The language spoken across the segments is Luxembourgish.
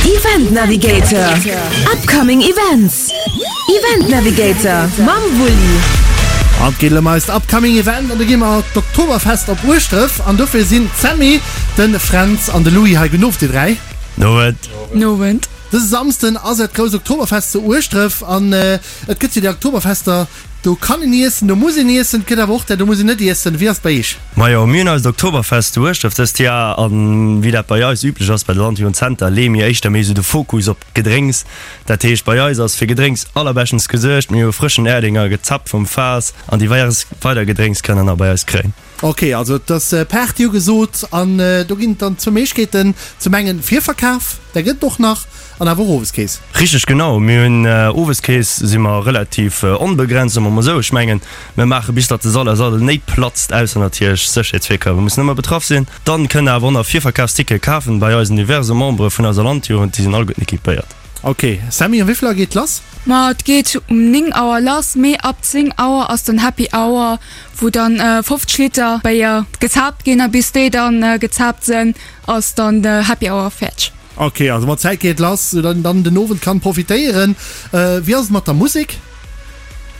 Event Navigator, Upcoming Events, Event Navigator mam Wulli. An et geet elo ëm eist Upcoming Event an do gi mer d'Oktoberfest op Ueschdref an dofir sinn d'Sammy, de Fränz an de Louis hei. Gudden Owend dir 3. Nowend. Nowend. Dëse Samsden ass et grousst Oktoberfest zu Ueschdref an et gëtt jo déi Oktoberfester, do kann een iessen, do muss een iessen, et gëtt awer och där, do muss een net iessen. Wéi ass et bei iech? Majo, mir hunn eist Oktoberfest zu Ueschdref dëst Jar an wéi dat bei eis üblech ass bei der Landjugend Center, leeë mir éischter méi esou de Fokus op d'Gedrénks. Dat heescht bei eis ass fir Gedrénks allerbeschtens gesuergt, mir hu frëschen Erdinger gezappt vum Faass an divers weider Gedrénks kënnt der nach bei eis kréien. Ok, also et ass Party ugesot an do ginn et dann zwou Méiglechkeeten, zum engen Virverkaf, där gëtt et och nach, an awer och Oweskeess. Richteg, genau. Mir hunn Oweskeess si mer relativ onbegrenzt, soe mer mol esou. Ech mengen, mir maache bis datt de Sall aus all den Néit platzt, ausser natierlech Sécherheetsvirkërwe mussen ëmmer betraff sinn. Dann kënnt der awer och nach Virverkafstickete kafen bei eisen diverse Membere vun eiser Landjugend, déi sinn alleguerten equipéiert. Ok Sammy, um wéivill Auer geet lass? Ma et geet um 9 Auer lass, mee ab 10 Auer ass dann Happy Hour, wou dann 50 Liter Béier gezaapt ginn a bis déi dann gezaapt sënn, ass dann de Happy Hour fäerdeg. Ok, also mat Zäit geet lass, sou datt een dann den Owend kann profitéieren. Wéi ass et mat der Musek?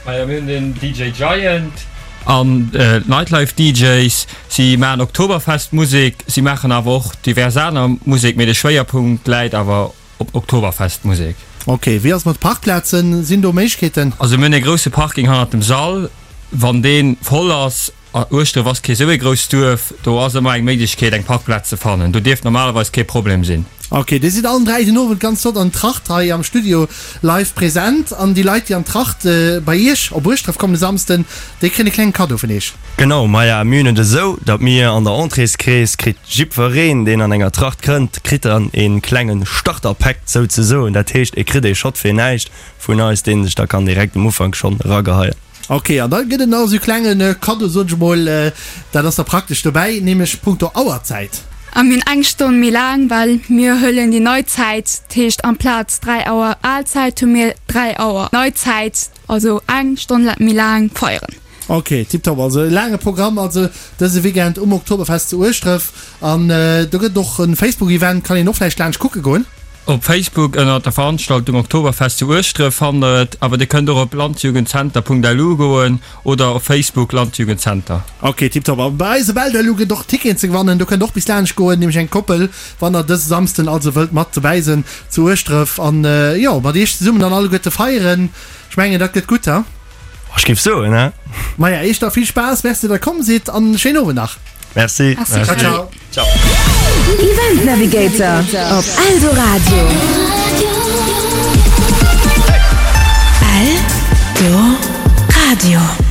Majo, mir hunn den DJ Giant an d'Nightlife DJs. Si maachen Oktoberfest Musek, si maachen awer och divers aner Musek, mee de Schwéierpunkt läit awer Op Oktoberfest Musek. Ok, wéi ass et mat Parkplazen? Sinn do Méiglechkeeten? Also mir hunn ee grousse Parking hannert dem Sall. Wann dee voll ass, a Ueschdref ass kee sou ee grousst Duerf, do ass ëmmer eng Méiglechkeet eng Parkplaz ze fannen. Do dierft normalerweis kee Problem sinn. Ok, dir sidd allen 3 den Owend ganz flott an Tracht hei am Studio live present. An déi Leit déi an Tracht bei iech op Ueschdref kommen e Samsden, déi kréien e klengen Cadeau vun iech. Genau, maja mir hunn et esou, datt mir an der Entréeskeess kritt jiddwereen, deen an enger Tracht kënnt, kritt dann ee klengen Starterpack souzesoen. Dat heescht, e kritt ee Shot fir näischt vun eis, deen sech da kann direkt um Ufank schonn erageheien. Ok, an da gëtt et nach esou e klenge Kaddo, soen ech emol, dat ass da praktesch dobäi, nämlech punkto Auerzäit. A mir hunn eng Stonn méi laang, well mir huelen déi nei Zäit, dat heescht amplaz 3 Auer al Zäit hu mir 3 Auer nei Zäit, also eng Stonn méi laang feieren. Ok, tiptop, also e laange Programm also dëse Weekend um Oktoberfest zu Ueschdref an do gëtt et och en Facebook Event, kann een och vläicht laanscht kucke goen? Op Facebook ënnert der Veranstaltung Oktoberfest zu Ueschdref fannt der et, awer dir kënnt och op landjugendzenter.lu goen oder op Facebook Landjugendzenter. Ok, tiptop. A bei eis op Eldo gëtt och Ticketen ze gewannen, do kënnt och bis laanscht goen, nämlech eng Koppel, wann der dëse Samsden also wëllt mat dobäi sënn zu Ueschdref an jo mat iech zesummen dann alleguerte feieren. Ech mengen dat gëtt gutt, he? Ech géif soen, he? Maja, iech da vill Spaass, merci dat der komm sidd an schéinen Owend nach. Merci. Ciao, ciao. Ciao. Event Navigator op Eldoradio. Eldoradio.